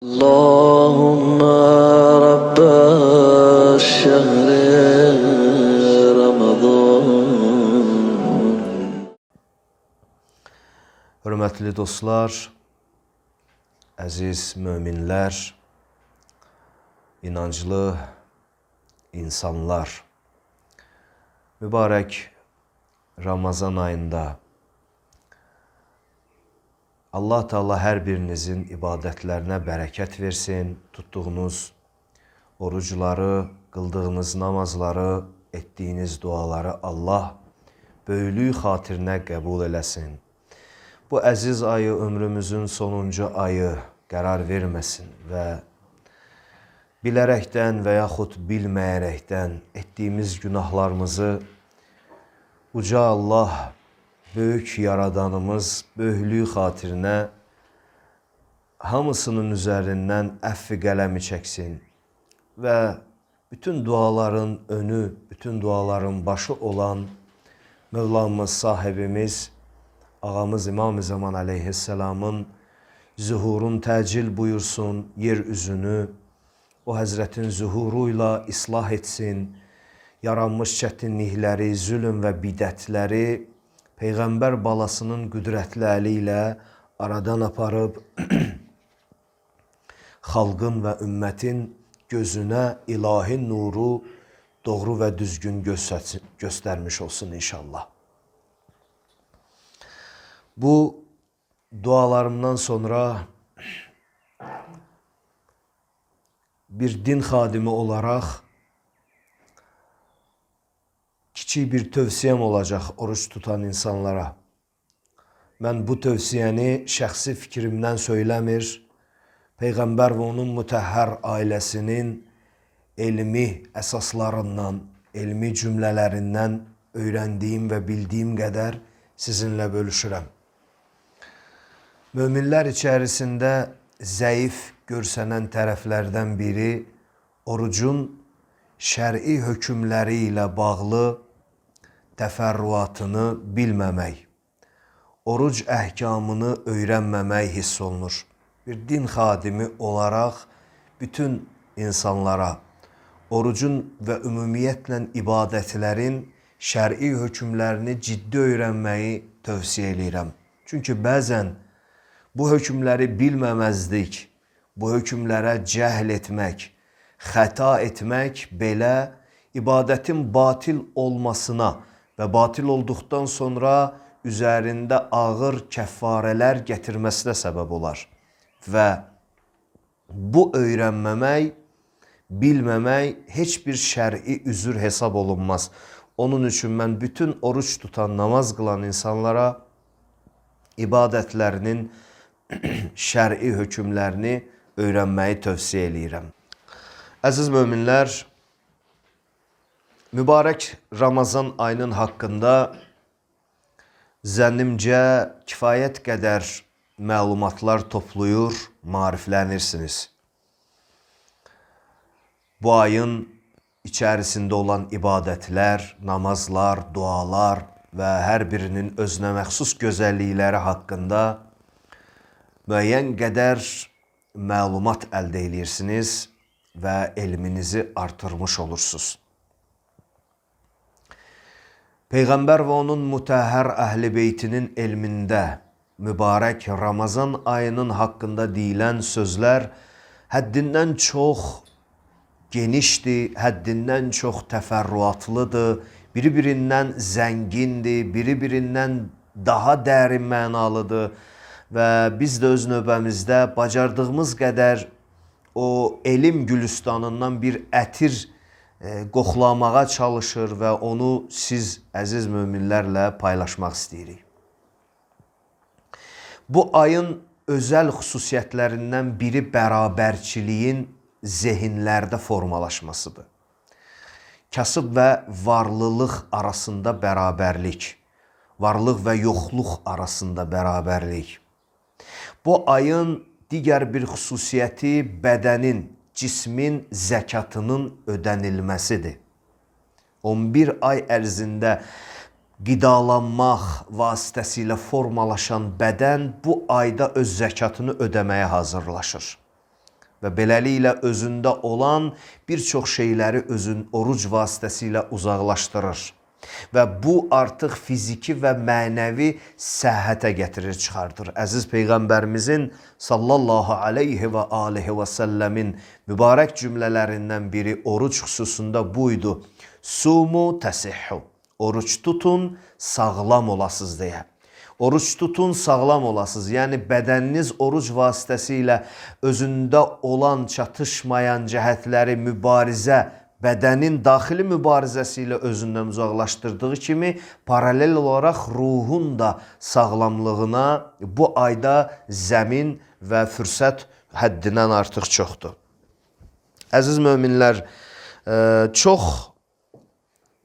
اللهم رب الشهر رمضان. Hörmətli dostlar, əziz möminlər, inanclı insanlar, mübarək Ramazan ayında Allah Teala hər birinizin ibadətlərinə bərəkət versin, tutduğunuz orucları, qıldığınız namazları, etdiyiniz duaları Allah böyüklük xatirinə qəbul eləsin. Bu əziz ayı ömrümüzün sonuncu ayı qərar verməsin və bilərəkdən və yaxud bilməyərəkdən etdiyimiz günahlarımızı Uca Allah, böyük yaradanımız böyüklük xatirinə hamısının üzərindən əfv qələmi çəksin və bütün duaların önü, bütün duaların başı olan Mövlamız, sahibimiz, ağamız İmam-ı Zaman aleyhisselamın zuhurun təcil buyursun, yer üzünü o Həzrətin zuhuruyla islah etsin, yaranmış çətinlikləri, zülm və bidətləri Peyğəmbər balasının qüdrətli əli ilə aradan aparıb xalqın və ümmətin gözünə ilahi nuru doğru və düzgün göstərmiş olsun inşallah. Bu dualarımdan sonra bir din xadimi olaraq kiçik bir tövsiyəm olacaq oruç tutan insanlara. Mən bu tövsiyəni şəxsi fikrimdən söyləmir, Peyğəmbər və onun mütəhhər ailəsinin elmi əsaslarından, elmi cümlələrindən öyrəndiyim və bildiyim qədər sizinlə bölüşürəm. Möminlər içərisində zəif görsənən tərəflərdən biri orucun şəri hökmləri ilə bağlı təfərrüatını bilməmək, oruc əhkamını öyrənməmək hiss olunur. Bir din xadimi olaraq bütün insanlara orucun və ümumiyyətlə ibadətlərin şəri hökmlərini ciddi öyrənməyi tövsiyə edirəm. Çünki bəzən bu hökmləri bilməməzlik, bu hökmlərə cəhl etmək, xəta etmək belə ibadətin batil olmasına və batil olduqdan sonra üzərində ağır kəffarələr gətirməsinə səbəb olar. Və bu öyrənməmək, bilməmək heç bir şəri üzür hesab olunmaz. Onun üçün mən bütün oruç tutan, namaz qılan insanlara ibadətlərinin şəri hökmlərini öyrənməyi tövsiyə edirəm. Əziz möminlər, mübarək Ramazan ayının haqqında zənnimcə kifayət qədər məlumatlar toplayır, maariflənirsiniz. Bu ayın içərisində olan ibadətlər, namazlar, dualar və hər birinin özünə məxsus gözəllikləri haqqında müəyyən qədər məlumat əldə edirsiniz və elminizi artırmış olursunuz. Peyğəmbər və onun mütəhhər əhl-i beytinin elmində mübarək Ramazan ayının haqqında deyilən sözlər həddindən çox genişdir, həddindən çox təfərrüatlıdır, biri-birindən zəngindir, biri-birindən daha dərin mənalıdır və biz də öz növbəmizdə bacardığımız qədər o elm gülüstanından bir ətir qoxlamağa çalışır və onu siz əziz möminlərlə paylaşmaq istəyirik. Bu ayın özəl xüsusiyyətlərindən biri bərabərçiliyin zehinlərdə formalaşmasıdır. Kasıb və varlılıq arasında bərabərlik, varlıq və yoxluq arasında bərabərlik. Bu ayın digər bir xüsusiyyəti bədənin, cismin zəkatının ödənilməsidir. 11 ay ərzində qidalanmaq vasitəsilə formalaşan bədən bu ayda öz zəkatını ödəməyə hazırlaşır. və beləliklə özündə olan bir çox şeyləri oruc vasitəsilə uzaqlaşdırır. Və bu artıq fiziki və mənəvi səhhətə gətirir, çıxardır. Əziz Peyğəmbərimizin sallallahu aleyhi və aleyhi və səlləmin mübarək cümlələrindən biri oruc xüsusunda buydu. Sumu təsihhu. Oruç tutun, sağlam olasız deyə. Oruç tutun, sağlam olasız. Yəni bədəniniz oruc vasitəsilə özündə olan çatışmayan cəhətləri mübarizə, bədənin daxili mübarizəsi ilə özündən uzaqlaşdırdığı kimi, paralel olaraq ruhun da sağlamlığına bu ayda zəmin və fürsət həddindən artıq çoxdur. Əziz möminlər, çox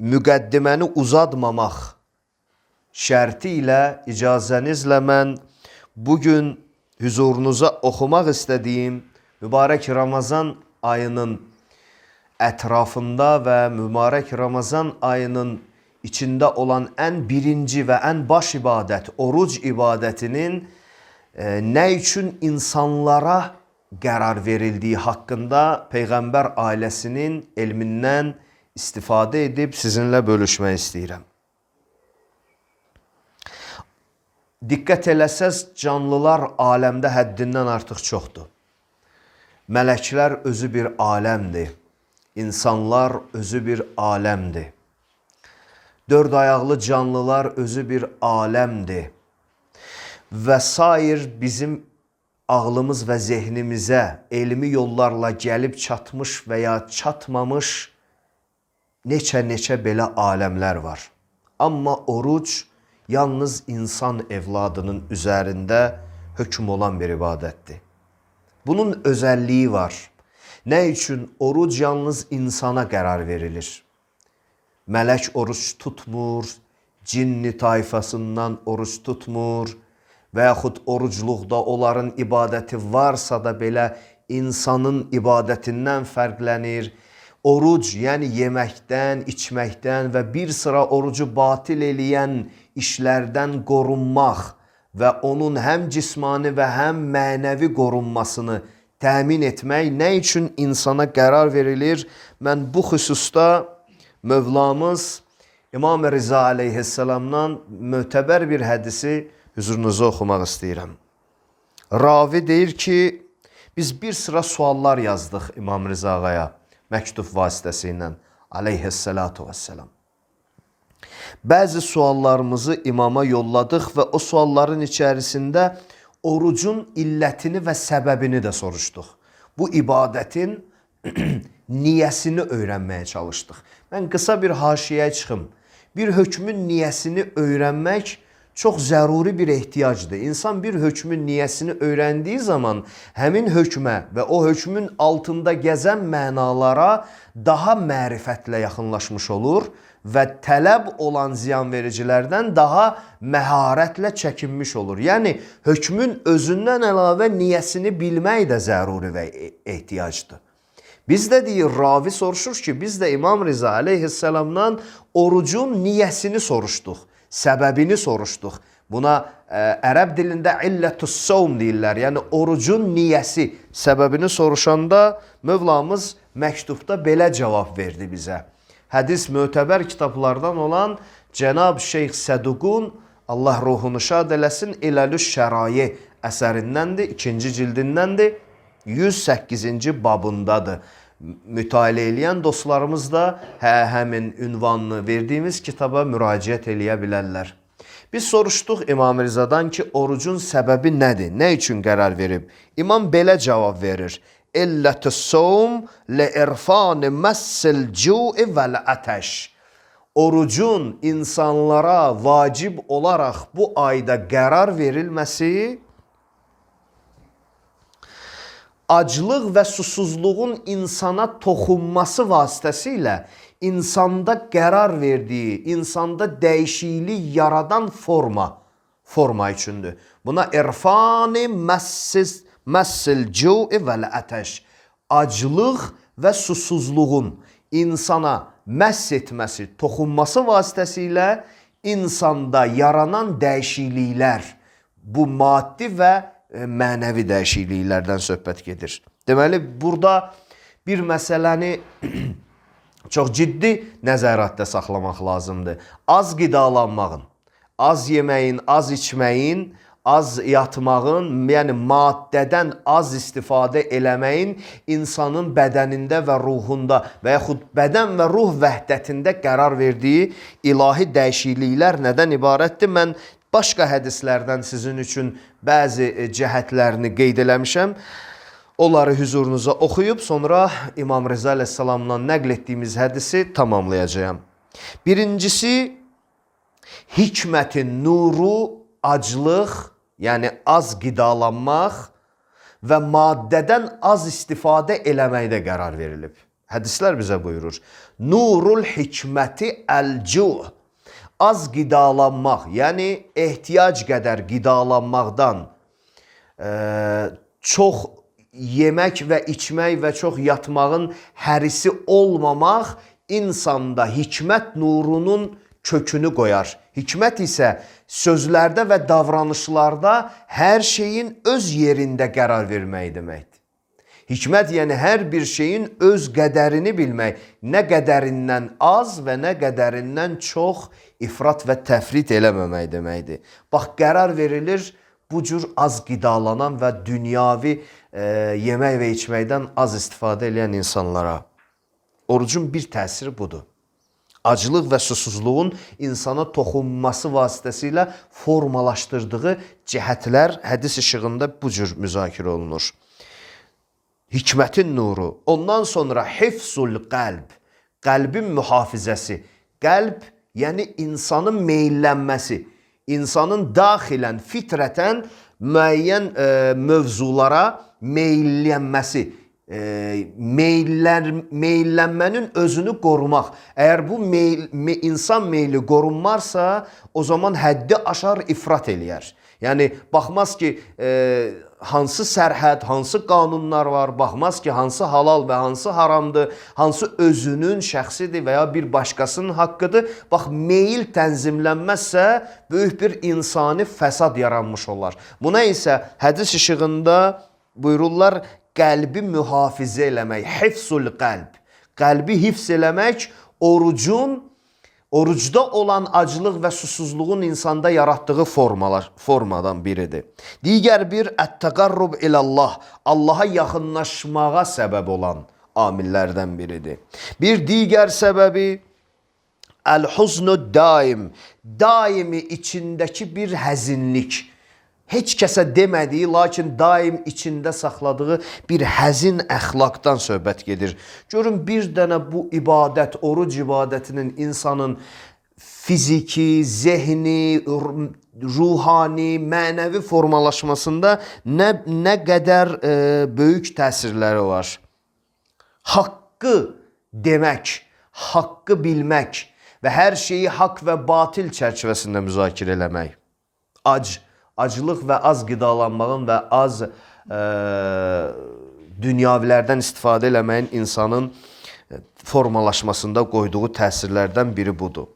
müqəddiməni uzatmamaq şərti ilə icazənizlə mən bugün hüzurunuza oxumaq istədiyim mübarək Ramazan ayının ətrafında və mübarək Ramazan ayının içində olan ən birinci və ən baş ibadət, oruc ibadətinin nə üçün insanlara qərar verildiyi haqqında Peyğəmbər ailəsinin elmindən istifadə edib sizinlə bölüşmək istəyirəm. Diqqət eləsəz, canlılar aləmdə həddindən artıq çoxdur. Mələklər özü bir aləmdir. İnsanlar özü bir aləmdir. Dörd ayaqlı canlılar özü bir aləmdir. Və sair bizim ağlımız və zehnimizə elmi yollarla gəlib çatmış və ya çatmamış neçə belə aləmlər var. Amma oruc yalnız insan evladının üzərində hökm olan bir ibadətdir. Bunun özəlliyi var. Nə üçün oruc yalnız insana qərar verilir? Mələk oruç tutmur, cinni tayfasından oruç tutmur və yaxud orucluqda onların ibadəti varsa da belə insanın ibadətindən fərqlənir. Oruc, yəni yeməkdən, içməkdən və bir sıra orucu batil eləyən işlərdən qorunmaq və onun həm cismani və həm mənəvi qorunmasını təmin etmək nə üçün insana qərar verilir? Mən bu xüsusda Mövlamız İmam Rıza aleyhisselamdan mötəbər bir hədisi hüzurunuza oxumaq istəyirəm. Ravi deyir ki, biz bir sıra suallar yazdıq İmam Rıza ağaya məktub vasitəsilə aleyhissalatu vesselam. Bəzi suallarımızı imama yolladıq və o sualların içərisində orucun illətini və səbəbini də soruşduq. Bu ibadətin niyəsini öyrənməyə çalışdıq. Mən qısa bir haşiyə çıxım. Bir hökmün niyəsini öyrənmək çox zəruri bir ehtiyacdır. İnsan bir hökmün niyəsini öyrəndiyi zaman həmin hökmə və o hökmün altında gəzən mənalara daha mərifətlə yaxınlaşmış olur və tələb olan ziyanvericilərdən daha məharətlə çəkinmiş olur. Yəni, hökmün özündən əlavə niyəsini bilmək də zəruri və ehtiyacdır. Biz də deyir, ravi soruşur ki, biz də İmam Rıza aleyhisselamdan orucun niyəsini soruşduq, səbəbini soruşduq. Buna ərəb dilində illətüs savm deyirlər, yəni orucun niyəsi, səbəbini soruşanda Mövlamız məktubda belə cavab verdi bizə. Hədis mötəbər kitablardan olan Cənab Şeyx Səduqun, Allah ruhunu şad eləsin, İləlüş Şərayi əsərindəndir, 2-ci cildindəndir, 108-ci babındadır. Mütaliə eləyən dostlarımız da həmin ünvanını verdiyimiz kitaba müraciət eləyə bilərlər. Biz soruşduq İmam Rızadan ki, orucun səbəbi nədir? Nə üçün qərar verib? İmam belə cavab verir. İllətüs savm li-irfan massil cu'i vəl-ətəş. Orucun insanlara vacib olaraq bu ayda qərar verilməsi aclıq və susuzluğun insana toxunması vasitəsilə insanda qərar verdiyi, insanda dəyişiklik yaradan forma üçündür. Buna irfani məssil cu'i vəl-ətəş. Aclıq və susuzluğun insana məhs etməsi, toxunması vasitəsilə insanda yaranan dəyişikliklər, bu maddi və mənəvi dəyişikliklərdən söhbət gedir. Deməli, burada bir məsələni çox ciddi nəzarətdə saxlamaq lazımdır. Az qidalanmağın, az yeməyin, az içməyin, az yatmağın, yəni maddədən az istifadə eləməyin insanın bədənində və ruhunda və yaxud bədən və ruh vəhdətində qərar verdiyi ilahi dəyişikliklər nədən ibarətdir? Mən başqa hədislərdən sizin üçün bəzi cəhətlərini qeyd eləmişəm. Onları hüzurunuza oxuyub, sonra İmam Rıza əleyhissalamdan nəql etdiyimiz hədisi tamamlayacağım. Birincisi, hikmətin nuru, aclıq, yəni az qidalanmaq və maddədən az istifadə eləməkdə qərar verilib. Hədislər bizə buyurur. Nurul hikməti əl-cuh. Az qidalanmaq, yəni ehtiyac qədər qidalanmaqdan çox yemək və içmək və çox yatmağın hərisi olmamaq insanda hikmət nurunun kökünü qoyar. Hikmət isə sözlərdə və davranışlarda hər şeyin öz yerində qərar vermək deməkdir. Hikmət yəni hər bir şeyin öz qədərini bilmək, nə qədərindən az və nə qədərindən çox ifrat və təfrit eləməmək deməkdir. Bax, qərar verilir bu cür az qidalanan və dünyavi yemək və içməkdən az istifadə edən insanlara. Orucun bir təsiri budur. Aclıq və susuzluğun insana toxunması vasitəsilə formalaşdırdığı cəhətlər hədis işığında bu cür müzakirə olunur. Hikmətin nuru. Ondan sonra hifzul qəlb. Qəlbin mühafizəsi. Qəlb, yəni insanın meyllənməsi. İnsanın daxilən, fitrətən müəyyən mövzulara meyllənməsi. Meyllənmənin özünü qorumaq. Əgər bu insan meyli qorunmarsa, o zaman həddi aşar ifrat eləyər. Yəni, baxmaz ki, hansı sərhəd, hansı qanunlar var, baxmaz ki, hansı halal və hansı haramdır, hansı özünün şəxsidir və ya bir başqasının haqqıdır. Bax, meyil tənzimlənməzsə, böyük bir insani fəsad yaranmış olar. Buna isə hədis işığında buyururlar, qəlbi mühafizə eləmək, hifzul qəlb. Qəlbi hifz eləmək orucda olan aclıq və susuzluğun insanda yaratdığı formadan biridir. Digər bir ət-təqarrub ilallah, Allaha yaxınlaşmağa səbəb olan amillərdən biridir. Bir digər səbəbi əl-huznu daim, daimi içindəki bir həzinlik. Heç kəsə demədiyi, lakin daim içində saxladığı bir həzin əxlaqdan söhbət gedir. Görün, bir dənə bu ibadət, oruc ibadətinin insanın fiziki, zehni, ruhani, mənəvi formalaşmasında nə qədər böyük təsirləri var. Haqqı demək, haqqı bilmək və hər şeyi haqq və batil çərçivəsində müzakirə eləmək. Aclıq və az qidalanmağın və az dünyavilərdən istifadə eləməyin insanın formalaşmasında qoyduğu təsirlərdən biri budur.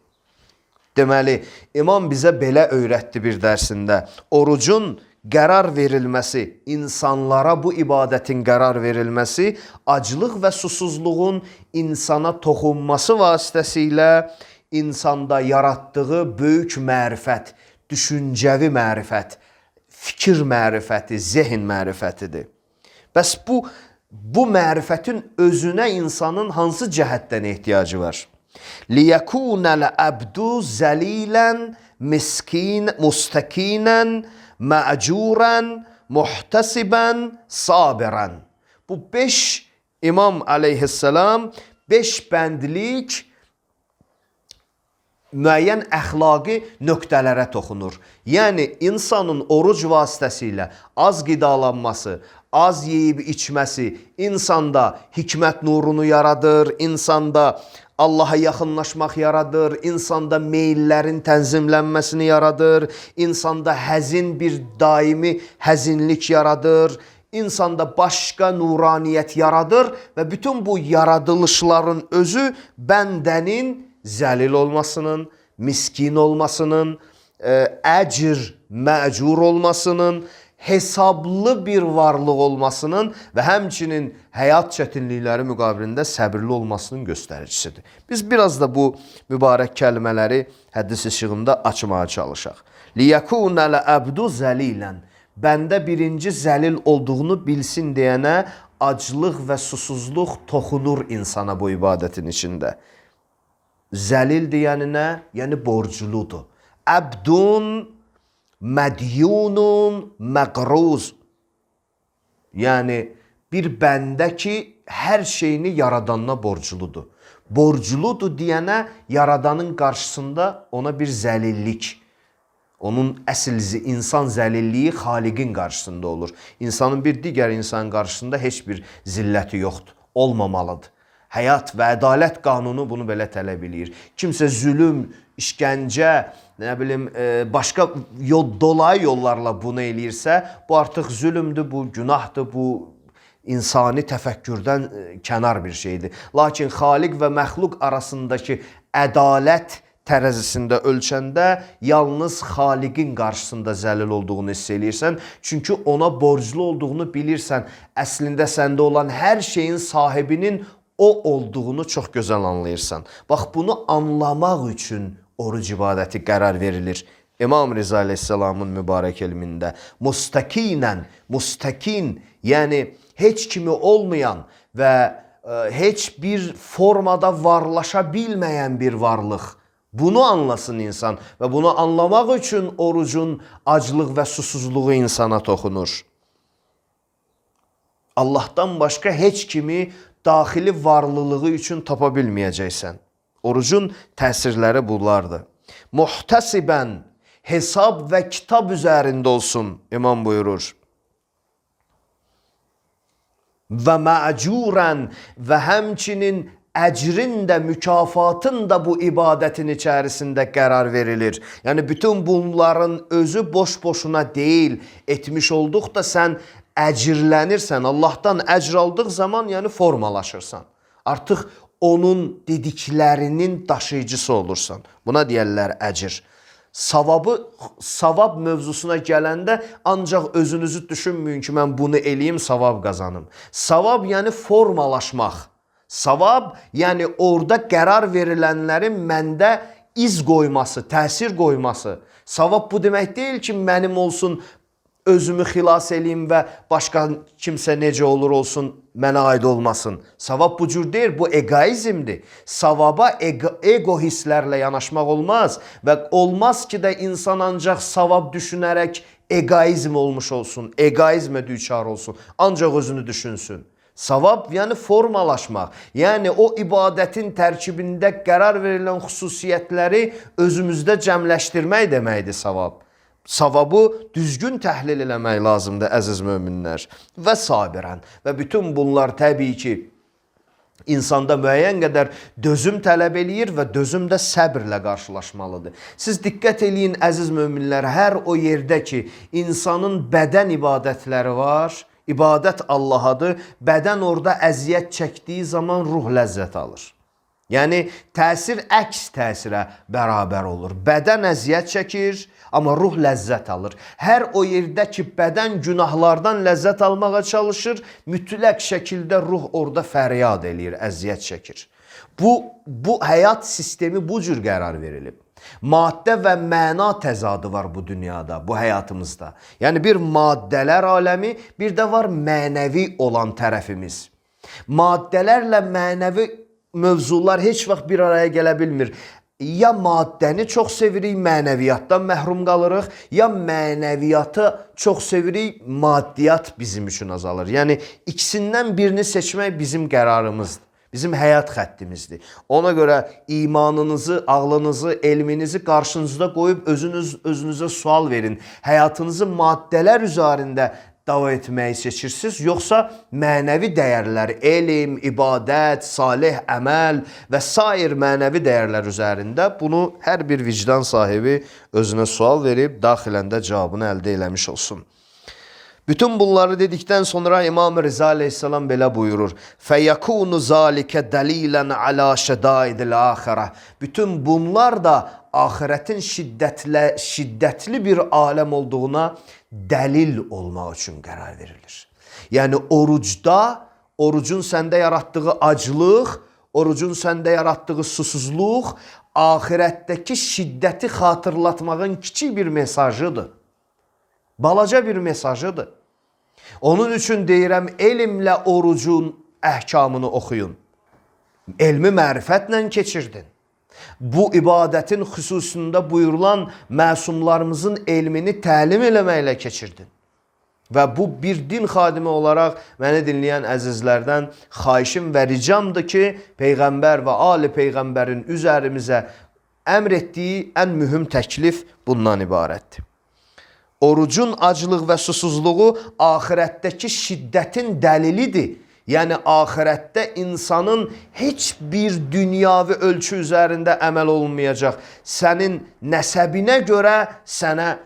Deməli, İmam bizə belə öyrətdi bir dərsində. Orucun qərar verilməsi, insanlara bu ibadətin qərar verilməsi, aclıq və susuzluğun insana toxunması vasitəsilə insanda yaratdığı böyük mərifət, düşüncəvi mərifət, fikir mərifəti, zehin mərifətidir. Bəs bu mərifətin özünə insanın hansı cəhətdən ehtiyacı var? لِيَكُونَ الْأَبْدُ زَلِيلًا مُسْتَكِينًا مَأْجُورًا مُحْتَسِبًا صَابِرًا. Bu 5 İmam aleyhisselam 5 bəndlik müəyyən əxlaqi nöqtələrə toxunur. Yəni, insanın oruc vasitəsilə az qidalanması, az yeyib içməsi insanda hikmət nurunu yaradır, insanda Allaha yaxınlaşmaq yaradır, insanda meyillərin tənzimlənməsini yaradır, insanda həzin bir daimi həzinlik yaradır, insanda başqa nuraniyyət yaradır və bütün bu yaradılışların özü bəndənin zəlil olmasının, miskin olmasının, əcr, məcur olmasının, hesablı bir varlıq olmasının və həmçinin həyat çətinlikləri müqabilində səbirli olmasının göstəricisidir. Biz biraz da bu mübarək kəlmələri hədis işığında açmağa çalışaq. لِيَكُونَ لَأَبْدُ زَلِيلًا Bəndə birinci zəlil olduğunu bilsin deyənə aclıq və susuzluq toxunur insana bu ibadətin içində. Zəlil deyəninə, yəni borcludur. Əbdun mədyunun məqruz. Yəni bir bəndə ki, hər şeyini yaradanına borcludur. Borcludur deyənə yaradanın qarşısında ona bir zəlillik. Onun əsl insan zəlilliyi xaliqin qarşısında olur. İnsanın bir digər insanın qarşısında heç bir zilləti yoxdur. Olmamalıdır. Həyat və ədalət qanunu bunu belə tələb eləyir. Kimsə zülüm, işgəncə, başqa dolayı yollarla bunu eləyirsə, bu artıq zülümdür, bu günahdır, bu insani təfəkkürdən kənar bir şeydir. Lakin xaliq və məxluq arasındakı ədalət tərəzisində ölçəndə yalnız xaliqin qarşısında zəlil olduğunu hiss eləyirsən. Çünki ona borclu olduğunu bilirsən. Əslində səndə olan hər şeyin sahibinin o olduğunu çox gözəl anlayırsan. Bax, bunu anlamaq üçün oruc ibadəti qərar verilir. İmam Riza Aleyhisselamın mübarək elmində mustakinən, mustakin, yəni heç kimi olmayan və heç bir formada varlaşa bilməyən bir varlıq. Bunu anlasın insan və bunu anlamaq üçün orucun aclıq və susuzluğu insana toxunur. Allahdan başqa heç kimi daxili varlılığı üçün tapa bilməyəcəksən. Orucun təsirləri bunlardır. Muhtəsibən, hesab və kitab üzərində olsun, imam buyurur. Və məcurən və həmçinin əcrin də, mükafatın da bu ibadətin içərisində qərar verilir. Yəni, bütün bunların özü boş-boşuna deyil, etmiş olduqda sən əcirlənirsən, Allahdan əcr aldıq zaman, yəni formalaşırsan. Artıq onun dediklərinin daşıyıcısı olursan. Buna deyərlər əcir. Savab mövzusuna gələndə ancaq özünüzü düşünməyin ki, mən bunu eləyim, savab qazanım. Savab yəni formalaşmaq. Savab, yəni orada qərar verilənlərin məndə iz qoyması, təsir qoyması. Savab bu demək deyil ki, mənim olsun, özümü xilas eləyim və başqa kimsə necə olur olsun, mənə aid olmasın. Savab bu cür deyil, bu egoizmdir. Savaba ego hisslərlə yanaşmaq olmaz və olmaz ki də insan ancaq savab düşünərək egoizm olmuş olsun, egoizmə düçar olsun, ancaq özünü düşünsün. Savab, yəni formalaşmaq, yəni o ibadətin tərkibində qərar verilən xüsusiyyətləri özümüzdə cəmləşdirmək deməkdir savab. Savabı düzgün təhlil eləmək lazımdır, əziz möminlər. Və sabirən. Və bütün bunlar təbii ki, insanda müəyyən qədər dözüm tələb eləyir və dözüm də səbirlə qarşılaşmalıdır. Siz diqqət eləyin, əziz möminlər, hər o yerdə ki, insanın bədən ibadətləri var, İbadət Allahadır, bədən orada əziyyət çəkdiyi zaman ruh ləzzət alır. Yəni, təsir əks təsirə bərabər olur. Bədən əziyyət çəkir, amma ruh ləzzət alır. Hər o yerdə ki, bədən günahlardan ləzzət almağa çalışır, mütləq şəkildə ruh orada fəryad eləyir, əziyyət çəkir. Bu həyat sistemi bu cür qərar verilib. Maddə və məna təzadı var bu dünyada, bu həyatımızda. Yəni bir maddələr aləmi, bir də var mənəvi olan tərəfimiz. Maddələrlə mənəvi mövzular heç vaxt bir araya gələ bilmir. Ya maddəni çox sevirik, mənəviyyatdan məhrum qalırıq, ya mənəviyyatı çox sevirik, maddiyyat bizim üçün azalır. Yəni ikisindən birini seçmək bizim qərarımızdır. Bizim həyat xəttimizdir. Ona görə imanınızı, ağlınızı, elminizi qarşınızda qoyub özünüzə sual verin. Həyatınızı maddələr üzərində dava etməyi seçirsiniz, yoxsa mənəvi dəyərlər, elm, ibadət, salih əməl və sair mənəvi dəyərlər üzərində? Bunu hər bir vicdan sahibi özünə sual verib, daxiləndə cavabını əldə eləmiş olsun. Bütün bunları dedikten sonra İmam Rıza Aleyhisselam belə buyurur. فَيَكُونُ ذَٰلِكَ دَلِيلًا عَلَى شَدَائِدِ الْآخِرَةِ Bütün bunlar da ahiretin şiddetli bir alem olduğuna delil olmaq üçün qərar verilir. Yəni orucda, orucun səndə yarattığı aclıq, orucun səndə yarattığı susuzluq, ahirətdəki şiddəti xatırlatmağın kiçik bir mesajıdır. Balaca bir mesajıdır. Onun üçün deyirəm, elmlə orucun əhkamını oxuyun. Elmi mərifətlə keçirdin. Bu ibadətin xüsusunda buyurulan məsumlarımızın elmini təlim eləməklə keçirdin. Və bu bir din xadimi olaraq məni dinləyən əzizlərdən xahişim və ricamdır ki, Peyğəmbər və Ali Peyğəmbərin üzərimizə əmr etdiyi ən mühüm təklif bundan ibarətdir. Orucun aclıq və susuzluğu ahirətdəki şiddətin dəlilidir. Yəni ahirətdə insanın heç bir dünyavi ölçü üzərində əməl olmayacaq. Sənin nəsəbinə görə sənə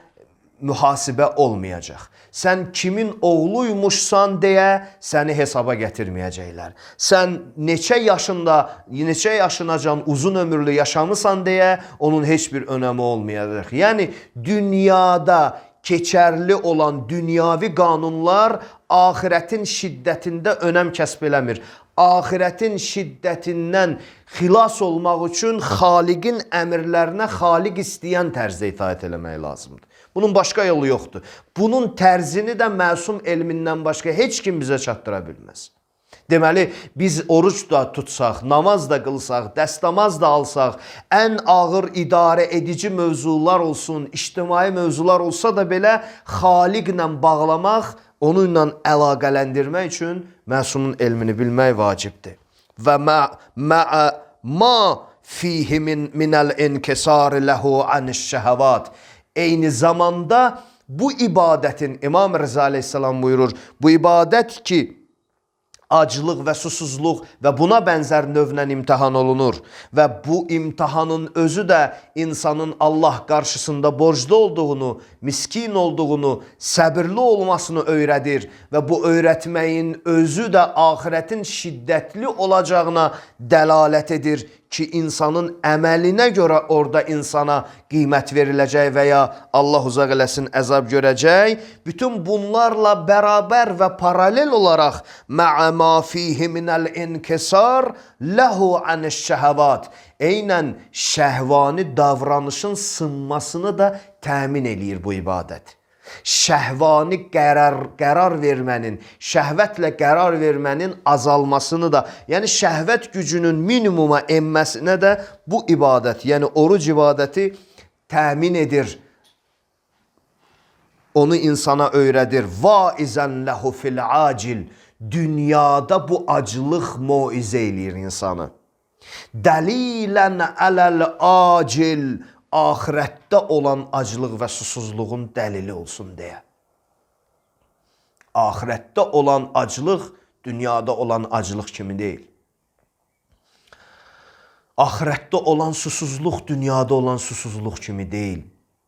mühasibə olmayacaq. Sən kimin oğluymuşsan deyə səni hesaba gətirməyəcəklər. Sən neçə yaşınacan uzun ömürlü yaşamısan deyə onun heç bir önəmi olmayacaq. Yəni dünyada keçərli olan dünyavi qanunlar ahirətin şiddətində önəm kəsb eləmir. Ahirətin şiddətindən xilas olmaq üçün Xaliqin əmrlərinə Xaliq istəyən tərzdə itaət eləmək lazımdır. Bunun başqa yolu yoxdur. Bunun tərzini də məsum elmindən başqa heç kim bizə çatdıra bilməz. Deməli, biz oruç da tutsaq, namaz da qılsaq, dəstəmaz da alsaq, ən ağır idarə edici mövzular olsun, ictimai mövzular olsa da belə Xaliqlə bağlamaq, onunla əlaqələndirmək üçün məsumun elmini bilmək vacibdir. Və ma fihi minəl inkisar ləhu anişşəhəvat. Eyni zamanda bu ibadətin, İmam Rıza Aleyhisselam buyurur, bu ibadət ki, aclıq və susuzluq və buna bənzər növlə imtihan olunur və bu imtihanın özü də insanın Allah qarşısında borclu olduğunu, miskin olduğunu, səbirli olmasını öyrədir və bu öyrətməyin özü də ahirətin şiddətli olacağına dəlalət edir ki, insanın əməlinə görə orada insana qiymət veriləcək və ya Allah uzaq eləsin əzab görəcək. Bütün bunlarla bərabər və paralel olaraq mə'ə ma fihi minəl inkisar ləhu anişşəhəvat. Eynən şəhvani davranışın sınmasını da təmin eləyir bu ibadət. Şəhvani qərar vermənin, şəhvətlə qərar vermənin azalmasını da, yəni şəhvət gücünün minimuma enməsinə də bu ibadət, yəni oruc ibadəti təmin edir. Onu insana öyrədir. Vaizən ləhu fil acil. Dünyada bu aclıq moizə eləyir insanı. Dəlilən ələl acil. Ahirətdə olan aclıq və susuzluğun dəlili olsun deyə. Ahirətdə olan aclıq dünyada olan aclıq kimi deyil. Ahirətdə olan susuzluq dünyada olan susuzluq kimi deyil.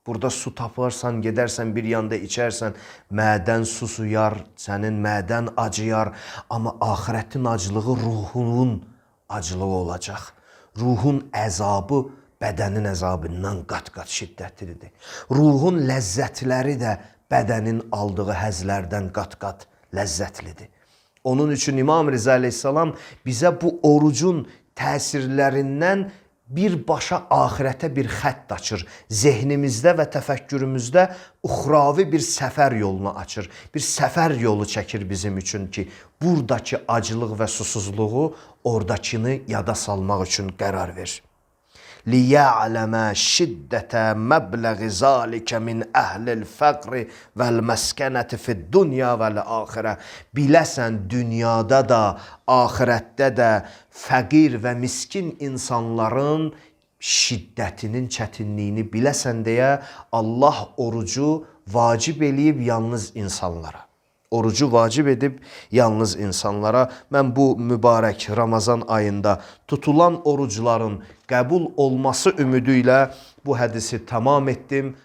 Burada su taparsan, gedərsən bir yanda içərsən, mədən susuyar, sənin mədən acıyar. Amma ahirətin aclığı ruhunun aclığı olacaq. Ruhun əzabı bədənin əzabından qat-qat şiddətlidir. Ruhun ləzzətləri də bədənin aldığı həzlərdən qat-qat ləzzətlidir. Onun üçün İmam Rıza Aleyhisselam bizə bu orucun təsirlərindən birbaşa ahirətə bir xətt açır. Zehnimizdə və təfəkkürümüzdə uxravi bir səfər yolunu açır. Bir səfər yolu çəkir bizim üçün ki, buradakı aclıq və susuzluğu oradakını yada salmaq üçün qərar verir. لِيَعْلَمَ شِدَّةَ مَبْلَغِ ذَٰلِكَ مِنْ أَهْلِ الْفَقْرِ وَالْمَسْكَنَةِ فِي الدُّنْيَا وَالْآخِرَةِ Biləsən dünyada da, ahirətdə də fəqir və miskin insanların şiddətinin çətinliyini biləsən deyə Allah orucu vacib eləyib yalnız insanlara. Orucu vacib edib yalnız insanlara. Mən bu mübarək Ramazan ayında tutulan orucların qəbul olması ümidi ilə bu hədisi tamam etdim.